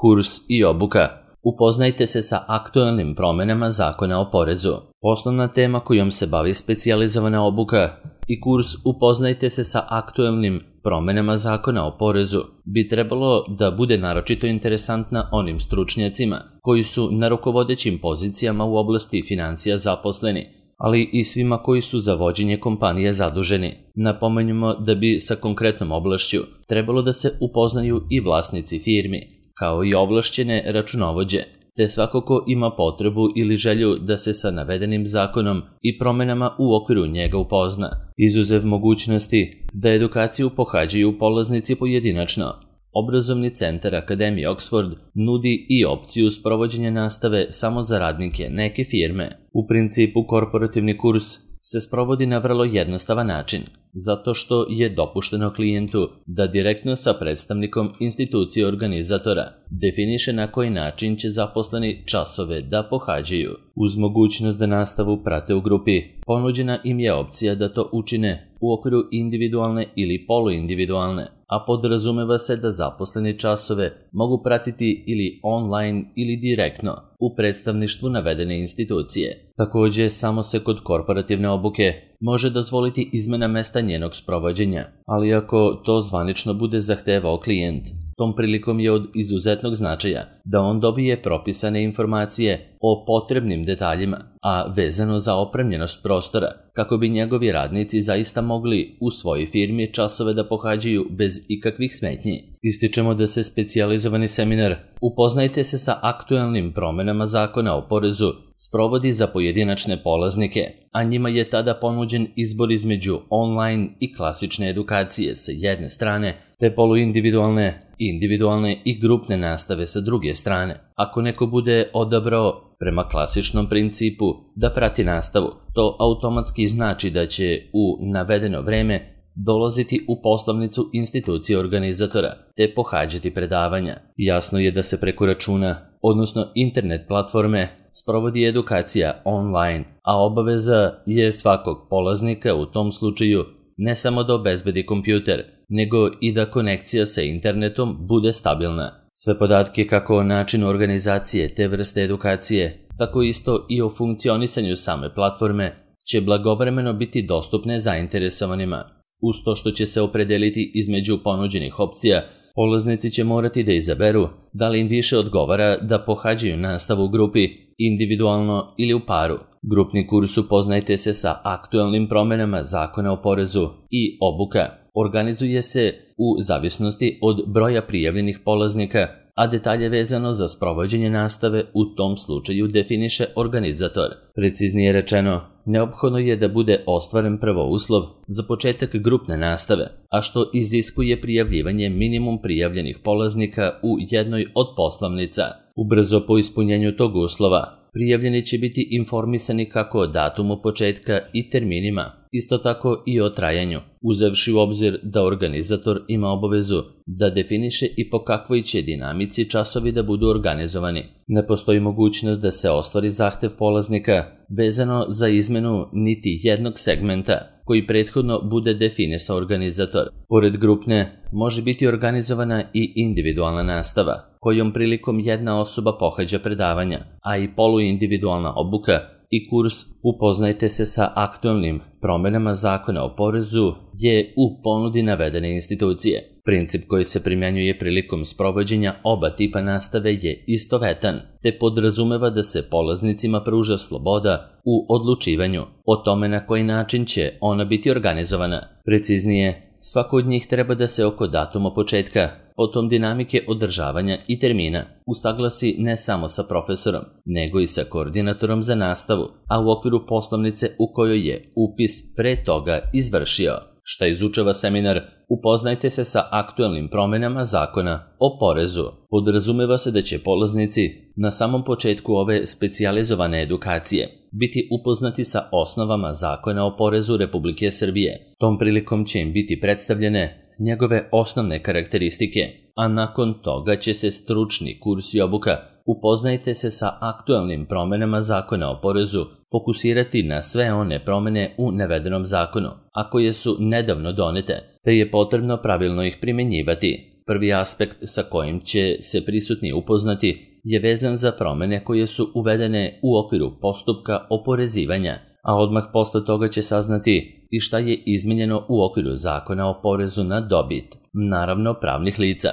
Kurs i obuka. Upoznajte se sa aktualnim promenama Zakona o porezu. Osnovna tema kojom se bavi specijalizovana obuka i kurs Upoznajte se sa aktualnim promenama Zakona o porezu bi trebalo da bude naročito interesantna onim stručnjacima koji su na rukovodećim pozicijama u oblasti financija zaposleni, ali i svima koji su za vođenje kompanije zaduženi. Napomenjamo da bi sa konkretnom oblašću trebalo da se upoznaju i vlasnici firmi, kao i ovlašćene računovođe, te svako ko ima potrebu ili želju da se sa navedenim zakonom i promenama u okviru njega upozna, izuzev mogućnosti da edukaciju pohađaju polaznici pojedinačno. Obrazovni centar Akademije Oxford nudi i opciju sprovođenja nastave samo za radnike neke firme. U principu, korporativni kurs se sprovodi na vrlo jednostavan način, zato što je dopušteno klijentu da direktno sa predstavnikom institucije organizatora definiše na koji način će zaposleni časove da pohađaju. Uz mogućnost da nastavu prate u grupi, ponuđena im je opcija da to učine u okviru individualne ili poluindividualne, a podrazumeva se da zaposleni časove mogu pratiti ili online ili direktno u predstavništvu navedene institucije. Također, samo se kod korporativne obuke može dozvoliti izmena mesta njenog sprovođenja, ali ako to zvanično bude zahtevao klijent, tom prilikom je od izuzetnog značaja da on dobije propisane informacije o potrebnim detaljima, a vezano za opremljenost prostora, kako bi njegovi radnici zaista mogli u svojoj firmi časove da pohađaju bez ikakvih smetnji. Ističemo da se specijalizovani seminar Upoznajte se sa aktualnim promenama Zakona o porezu sprovodi za pojedinačne polaznike, a njima je tada ponuđen izbor između online i klasične edukacije sa jedne strane, te poluindividualne, individualne i grupne nastave sa druge strane. Ako neko bude odabrao prema klasičnom principu da prati nastavu, to automatski znači da će u navedeno vreme dolaziti u poslovnicu institucije organizatora te pohađati predavanja. Jasno je da se preko računa, odnosno internet platforme, sprovodi edukacija online, a obaveza je svakog polaznika u tom slučaju ne samo da obezbedi kompjuter, nego i da konekcija sa internetom bude stabilna. Sve podatke kako o načinu organizacije te vrste edukacije, tako isto i o funkcionisanju same platforme, će blagovremeno biti dostupne zainteresovanima. Uz to što će se opredeliti između ponuđenih opcija, polaznici će morati da izaberu da li im više odgovara da pohađaju nastavu u grupi, individualno ili u paru. Grupni kurs Upoznajte se sa aktualnim promenama Zakona o porezu i obuka organizuje se u zavisnosti od broja prijavljenih polaznika, a detalje vezano za sprovođenje nastave u tom slučaju definiše organizator. Preciznije rečeno, neophodno je da bude ostvaren prvo uslov za početak grupne nastave, a što iziskuje prijavljivanje minimum prijavljenih polaznika u jednoj od poslovnica. Ubrzo po ispunjenju tog uslova, prijavljeni će biti informisani kako o datumu početka i terminima, isto tako i o trajanju, uzevši u obzir da organizator ima obavezu da definiše i po kakvoj će dinamici časovi da budu organizovani. Ne postoji mogućnost da se ostvari zahtev polaznika vezano za izmenu niti jednog segmenta koji prethodno bude definisao organizator. Pored grupne, može biti organizovana i individualna nastava, kojom prilikom jedna osoba pohađa predavanja, a i poluindividualna obuka i kurs Upoznajte se sa aktualnim promenama Zakona o porezu je u ponudi navedene institucije. Princip koji se primjenjuje prilikom sprovođenja oba tipa nastave je istovetan, te podrazumeva da se polaznicima pruža sloboda u odlučivanju o tome na koji način će ona biti organizovana. Preciznije, svako od njih treba da se oko datuma početka, potom dinamike održavanja i termina usaglasi ne samo sa profesorom, nego i sa koordinatorom za nastavu, a u okviru poslovnice u kojoj je upis pre toga izvršio. Šta izučava seminar Upoznajte se sa aktualnim promenama Zakona o porezu. Podrazumeva se da će polaznici na samom početku ove specijalizovane edukacije biti upoznati sa osnovama Zakona o porezu Republike Srbije. Tom prilikom će im biti predstavljene njegove osnovne karakteristike, a nakon toga će se stručni kurs i obuka Upoznajte se sa aktualnim promenama Zakona o porezu fokusirati na sve one promene u navedenom zakonu, a koje su nedavno donete, te je potrebno pravilno ih primjenjivati. Prvi aspekt sa kojim će se prisutni upoznati je vezan za promene koje su uvedene u okviru postupka oporezivanja, a odmah posle toga će saznati i šta je izmenjeno u okviru Zakona o porezu na dobit, naravno pravnih lica.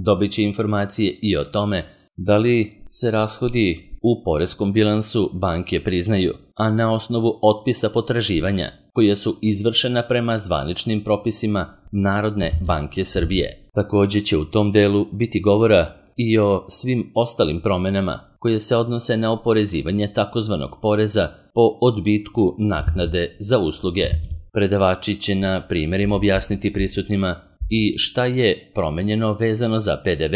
Dobit će informacije i o tome da li se rashodi u poreskom bilansu banke priznaju, a na osnovu otpisa potraživanja koje su izvršena prema zvaničnim propisima Narodne banke Srbije. Također će u tom delu biti govora i o svim ostalim promenama koje se odnose na oporezivanje takozvanog poreza po odbitku naknade za usluge. Predavači će na primjerima objasniti prisutnima i šta je promenjeno vezano za PDV,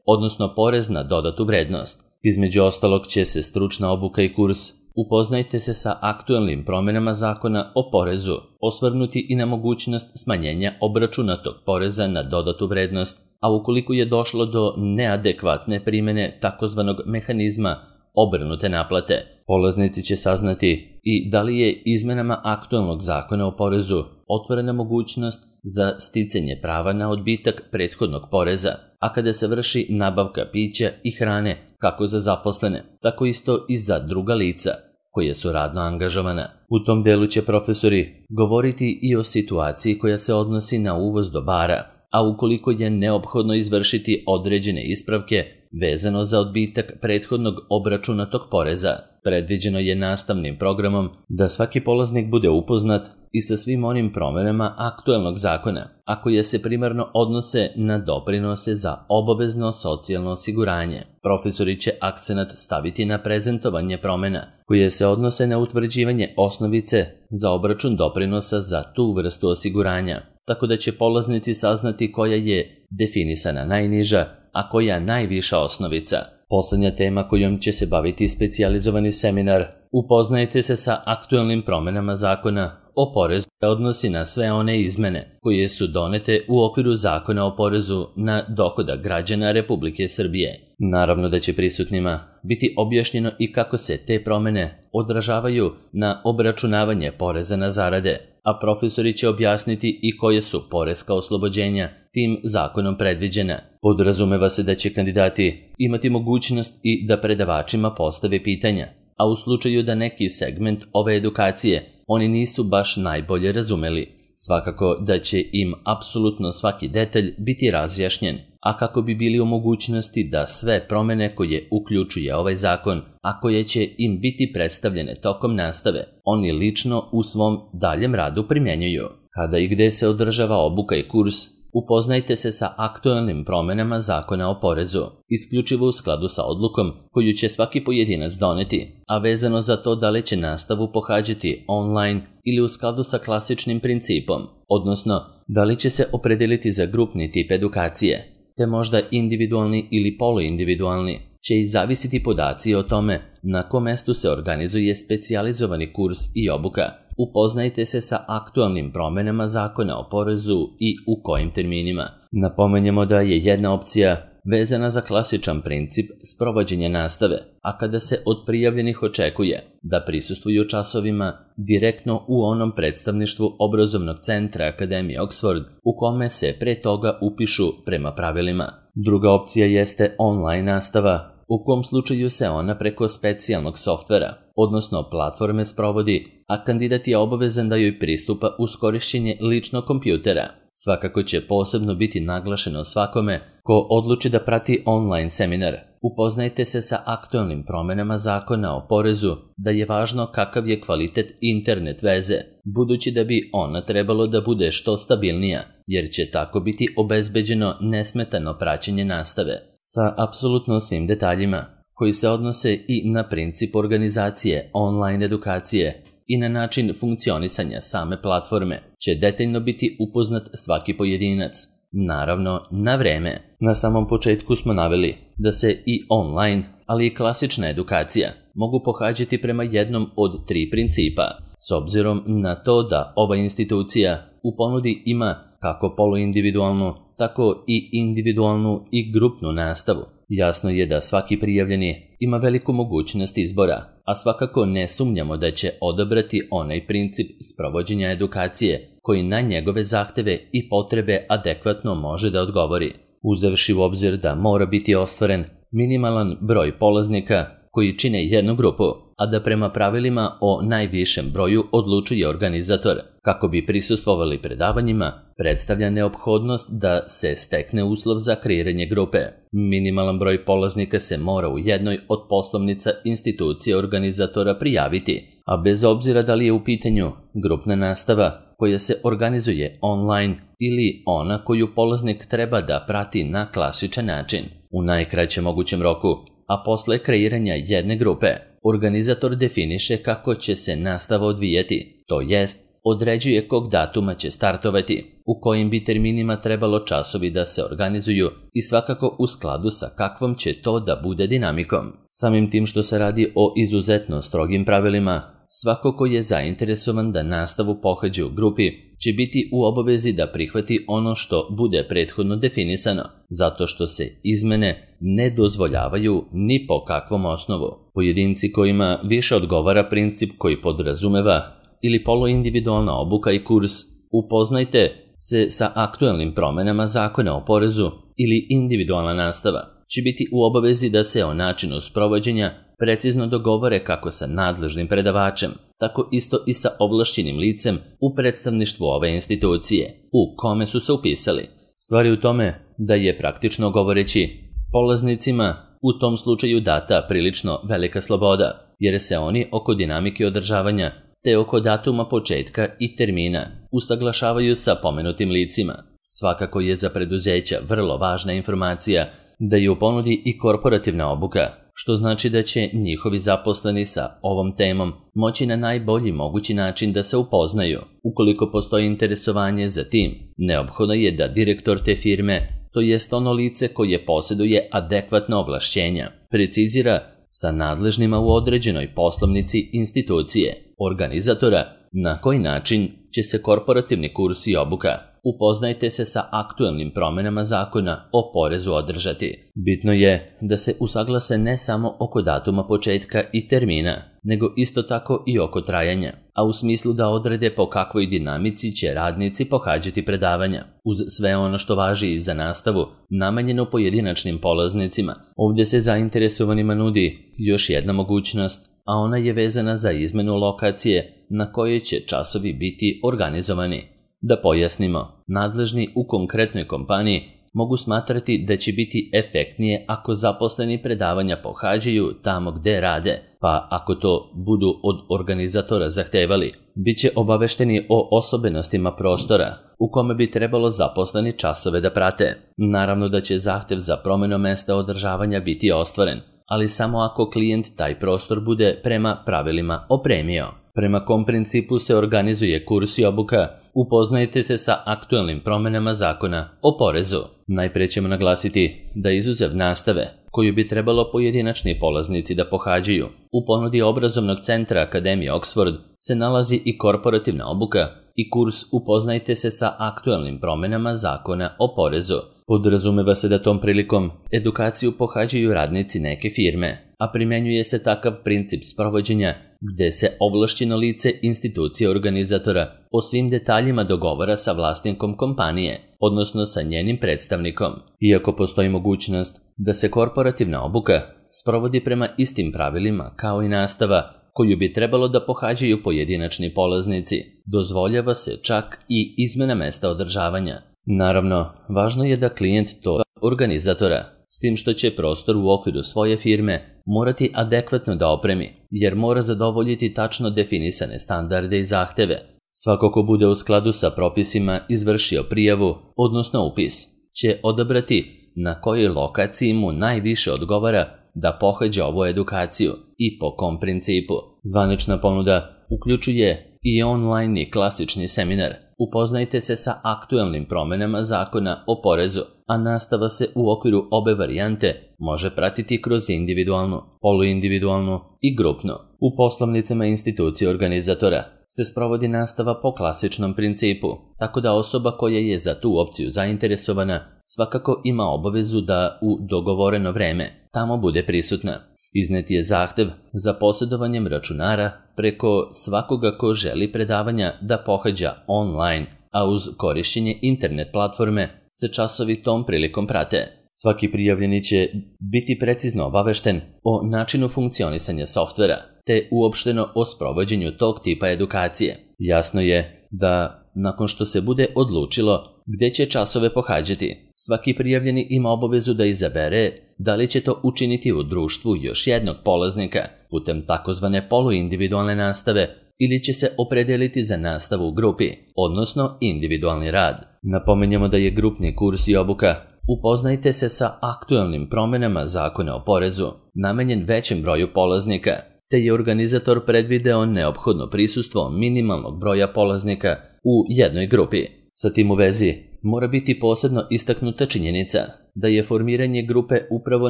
odnosno porez na dodatu vrednost. Između ostalog će se stručna obuka i kurs Upoznajte se sa aktuelnim promenama Zakona o porezu, osvrnuti i na mogućnost smanjenja obračunatog poreza na dodatu vrednost, a ukoliko je došlo do neadekvatne primjene takozvanog mehanizma obrnute naplate, polaznici će saznati i da li je izmenama aktuelnog Zakona o porezu otvorena mogućnost za sticanje prava na odbitak prethodnog poreza, a kada se vrši nabavka pića i hrane kako za zaposlene, tako isto i za druga lica koje su radno angažovana. U tom delu će profesori govoriti i o situaciji koja se odnosi na uvoz dobara, a ukoliko je neophodno izvršiti određene ispravke vezano za odbitak prethodnog obračunatog poreza, predviđeno je nastavnim programom da svaki polaznik bude upoznat i sa svim onim promenama aktuelnog zakona, a koje se primarno odnose na doprinose za obavezno socijalno osiguranje. Profesori će akcenat staviti na prezentovanje promena koje se odnose na utvrđivanje osnovice za obračun doprinosa za tu vrstu osiguranja, tako da će polaznici saznati koja je definisana najniža, a koja najviša osnovica. Poslednja tema kojom će se baviti specijalizovani seminar Upoznajte se sa aktuelnim promenama Zakona o porezu odnosi na sve one izmene koje su donete u okviru Zakona o porezu na dohodak građana Republike Srbije. Naravno da će prisutnima biti objašnjeno i kako se te promene odražavaju na obračunavanje poreza na zarade, a profesori će objasniti i koje su poreska oslobođenja tim zakonom predviđena. Podrazumeva se da će kandidati imati mogućnost i da predavačima postave pitanja, a u slučaju da neki segment ove edukacije oni nisu baš najbolje razumeli, svakako da će im apsolutno svaki detalj biti razjašnjen, a kako bi bili u mogućnosti da sve promene koje uključuje ovaj zakon, a koje će im biti predstavljene tokom nastave, oni lično u svom daljem radu primjenjuju. Kada i gde se održava obuka i kurs, upoznajte se sa aktuelnim promenama Zakona o porezu, isključivo u skladu sa odlukom koju će svaki pojedinac doneti, a vezano za to da li će nastavu pohađati online ili u skladu sa klasičnim principom, odnosno da li će se opredeliti za grupni tip edukacije, te možda individualni ili poluindividualni, će i zavisiti podaci o tome na kom mestu se organizuje specijalizovani kurs i obuka. Upoznajte se sa aktualnim promenama Zakona o porezu i u kojim terminima. Napomenjemo da je jedna opcija vezana za klasičan princip sprovođenja nastave, a kada se od prijavljenih očekuje da prisustvuju časovima direktno u onom predstavništvu obrazovnog centra Akademije Oxford u kome se pre toga upišu prema pravilima. Druga opcija jeste online nastava, u kom slučaju se ona preko specijalnog softvera, odnosno platforme sprovodi, a kandidat je obavezan da joj pristupa uz korišćenje ličnog kompjutera. Svakako će posebno biti naglašeno svakome ko odluči da prati online seminar. Upoznajte se sa aktuelnim promenama Zakona o porezu, da je važno kakav je kvalitet internet veze, budući da bi ona trebalo da bude što stabilnija, jer će tako biti obezbeđeno nesmetano praćenje nastave, sa apsolutno svim detaljima, koji se odnose i na princip organizacije online edukacije i na način funkcionisanja same platforme, će detaljno biti upoznat svaki pojedinac, naravno na vreme. Na samom početku smo naveli da se i online, ali i klasična edukacija mogu pohađati prema jednom od 3 principa, s obzirom na to da ova institucija u ponudi ima kako poluindividualnu, tako i individualnu i grupnu nastavu. Jasno je da svaki prijavljeni ima veliku mogućnost izbora, a svakako ne sumnjamo da će odabrati onaj princip sprovođenja edukacije koji na njegove zahteve i potrebe adekvatno može da odgovori. uzevši u obzir da mora biti ostvaren minimalan broj polaznika koji čine jednu grupu, a da prema pravilima o najvišem broju odlučuje organizator. Kako bi prisustvovali predavanjima, predstavlja neophodnost da se stekne uslov za kreiranje grupe. Minimalan broj polaznika se mora u jednoj od poslovnica institucije organizatora prijaviti, a bez obzira da li je u pitanju grupna nastava koja se organizuje online ili ona koju polaznik treba da prati na klasičan način, u najkraćem mogućem roku, a posle kreiranja jedne grupe, organizator definiše kako će se nastava odvijati, to jest određuje kog datuma će startovati, u kojim bi terminima trebalo časovi da se organizuju i svakako u skladu sa kakvom će to da bude dinamikom. Samim tim što se radi o izuzetno strogim pravilima, svako ko je zainteresovan da nastavu pohađa u grupi će biti u obavezi da prihvati ono što bude prethodno definisano, zato što se izmene ne dozvoljavaju ni po kakvom osnovu. Pojedinci kojima više odgovara princip koji podrazumeva ili poluindividualna obuka i kurs upoznajte se sa aktuelnim promenama zakona o porezu ili individualna nastava će biti u obavezi da se o načinu sprovođenja precizno dogovore kako sa nadležnim predavačem, tako isto i sa ovlašćenim licem u predstavništvu ove institucije, u kome su se upisali. Stvar je u tome da je praktično govoreći polaznicima u tom slučaju data prilično velika sloboda, jer se oni oko dinamike održavanja te oko datuma početka i termina usaglašavaju sa pomenutim licima. Svakako je za preduzeća vrlo važna informacija da je u ponudi i korporativna obuka, što znači da će njihovi zaposleni sa ovom temom moći na najbolji mogući način da se upoznaju. Ukoliko postoji interesovanje za tim, neophodno je da direktor te firme, to jest ono lice koje posjeduje adekvatna ovlašćenja, precizira sa nadležnima u određenoj poslovnici institucije, organizatora, na koji način će se korporativni kurs i obuka. Upoznajte se sa aktuelnim promenama zakona o porezu održati. Bitno je da se usaglase ne samo oko datuma početka i termina, nego isto tako i oko trajanja, a u smislu da odrede po kakvoj dinamici će radnici pohađati predavanja. Uz sve ono što važi i za nastavu, namenjeno pojedinačnim polaznicima, ovdje se zainteresovanima nudi još jedna mogućnost, a ona je vezana za izmenu lokacije na kojoj će časovi biti organizovani. Da pojasnimo, nadležni u konkretnoj kompaniji mogu smatrati da će biti efektnije ako zaposleni predavanja pohađaju tamo gde rade, pa ako to budu od organizatora zahtevali, bit će obavešteni o osobenostima prostora u kome bi trebalo zaposleni časove da prate. Naravno da će zahtev za promjenu mesta održavanja biti ostvaren, ali samo ako klijent taj prostor bude prema pravilima opremio. Prema kom principu se organizuje kurs i obuka, upoznajte se sa aktuelnim promenama zakona o porezu. Najprije ćemo naglasiti da izuzev nastave, koju bi trebalo pojedinačni polaznici da pohađaju, u ponudi obrazovnog centra Akademije Oxford se nalazi i korporativna obuka i kurs upoznajte se sa aktuelnim promenama zakona o porezu. Podrazumeva se da tom prilikom edukaciju pohađaju radnici neke firme, a primenjuje se takav princip sprovođenja gde se ovlašćeno lice institucije organizatora o svim detaljima dogovara sa vlasnikom kompanije, odnosno sa njenim predstavnikom. Iako postoji mogućnost da se korporativna obuka sprovodi prema istim pravilima kao i nastava koju bi trebalo da pohađaju pojedinačni polaznici, dozvoljava se čak i izmena mesta održavanja. Naravno, važno je da klijent to organizatora, s tim što će prostor u okviru svoje firme morati adekvatno da opremi, jer mora zadovoljiti tačno definisane standarde i zahteve. Svako ko bude u skladu sa propisima izvršio prijavu, odnosno upis, će odabrati na kojoj lokaciji mu najviše odgovara da pohađa ovu edukaciju i po kom principu. Zvanična ponuda uključuje i online i klasični seminar. Upoznajte se sa aktuelnim promenama zakona o porezu, a nastava se u okviru obe varijante može pratiti kroz individualnu, poluindividualnu i grupnu. U poslovnicama institucije organizatora se sprovodi nastava po klasičnom principu, tako da osoba koja je za tu opciju zainteresovana svakako ima obavezu da u dogovoreno vreme tamo bude prisutna. Iznet je zahtev za posjedovanjem računara preko svakoga ko želi predavanja da pohađa online, a uz korišćenje internet platforme se časovi tom prilikom prate. Svaki prijavljeni će biti precizno obavešten o načinu funkcionisanja softvera, te uopšteno o sprovođenju tog tipa edukacije. Jasno je da nakon što se bude odlučilo gde će časove pohađati, svaki prijavljeni ima obavezu da izabere da li će to učiniti u društvu još jednog polaznika putem takozvane poluindividualne nastave ili će se opredeliti za nastavu u grupi, odnosno individualni rad. Napominjemo da je grupni kurs i obuka Upoznajte se sa aktuelnim promenama zakona o porezu namenjen većem broju polaznika, te je organizator predvideo neophodno prisustvo minimalnog broja polaznika u jednoj grupi. Sa tim u vezi mora biti posebno istaknuta činjenica da je formiranje grupe upravo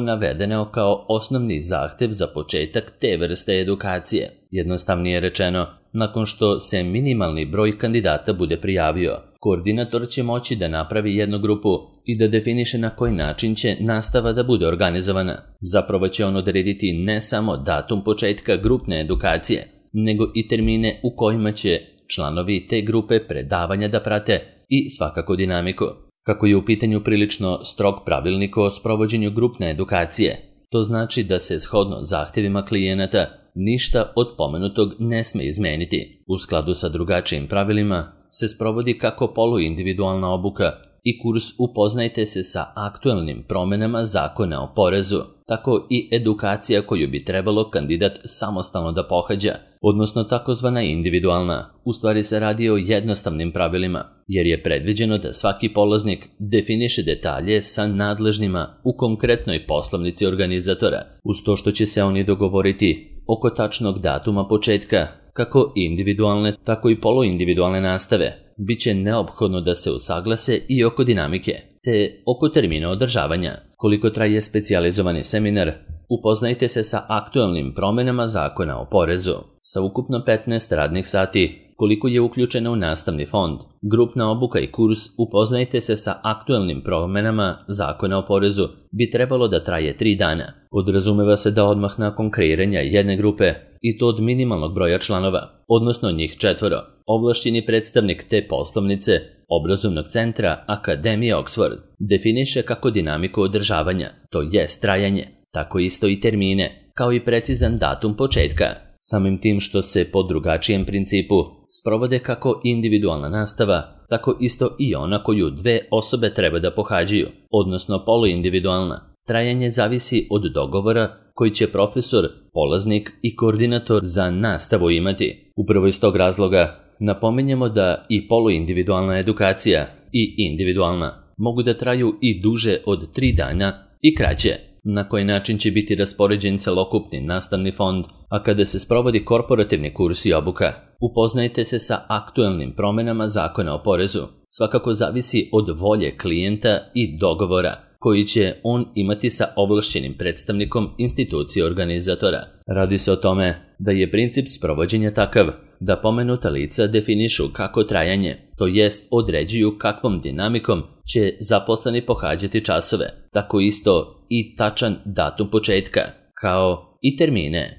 navedeno kao osnovni zahtev za početak te vrste edukacije. Jednostavnije rečeno, nakon što se minimalni broj kandidata bude prijavio, koordinator će moći da napravi jednu grupu i da definiše na koji način će nastava da bude organizovana. Zapravo će on odrediti ne samo datum početka grupne edukacije, nego i termine u kojima će članovi te grupe predavanja da prate i svakako dinamiku. Kako je u pitanju prilično strog pravilnik o sprovođenju grupne edukacije, to znači da se shodno zahtjevima klijenata ništa od pomenutog ne sme izmeniti. U skladu sa drugačijim pravilima se sprovodi kako poluindividualna obuka i kurs Upoznajte se sa aktuelnim promenama zakona o porezu, tako i edukacija koju bi trebalo kandidat samostalno da pohađa, odnosno takozvana individualna. U stvari se radi o jednostavnim pravilima, jer je predviđeno da svaki polaznik definiše detalje sa nadležnima u konkretnoj poslovnici organizatora, uz to što će se oni dogovoriti oko tačnog datuma početka, kako individualne, tako i poluindividualne nastave. Biće neophodno da se usaglase i oko dinamike, te oko termina održavanja. Koliko traje specijalizovani seminar, upoznajte se sa aktuelnim promenama zakona o porezu. Sa ukupno 15 radnih sati, koliko je uključeno u nastavni fond, grupna obuka i kurs Upoznajte se sa aktuelnim promenama zakona o porezu bi trebalo da traje 3 dana. Podrazumeva se da odmah nakon kreiranja jedne grupe, i to od minimalnog broja članova, odnosno njih 4, ovlašćeni predstavnik te poslovnice obrazovnog centra Akademije Oxford definiše kako dinamiku održavanja, to jest trajanje, tako isto i termine, kao i precizan datum početka. Samim tim što se po drugačijem principu sprovode kako individualna nastava, tako isto i ona koju 2 osobe treba da pohađaju, odnosno poluindividualna. Trajanje zavisi od dogovora koji će profesor, polaznik i koordinator za nastavu imati. Upravo iz tog razloga napominjemo da i poluindividualna edukacija i individualna mogu da traju i duže od 3 dana i kraće. Na koji način će biti raspoređen celokupni nastavni fond, a kada se sprovodi korporativni kurs i obuka, upoznajte se sa aktuelnim promenama zakona o porezu. Svakako zavisi od volje klijenta i dogovora koji će on imati sa ovlašćenim predstavnikom institucije organizatora. Radi se o tome da je princip sprovođenja takav da pomenuta lica definišu kako trajanje, to jest određuju kakvom dinamikom će zaposleni pohađati časove, tako isto i tačan datum početka, kao i termine.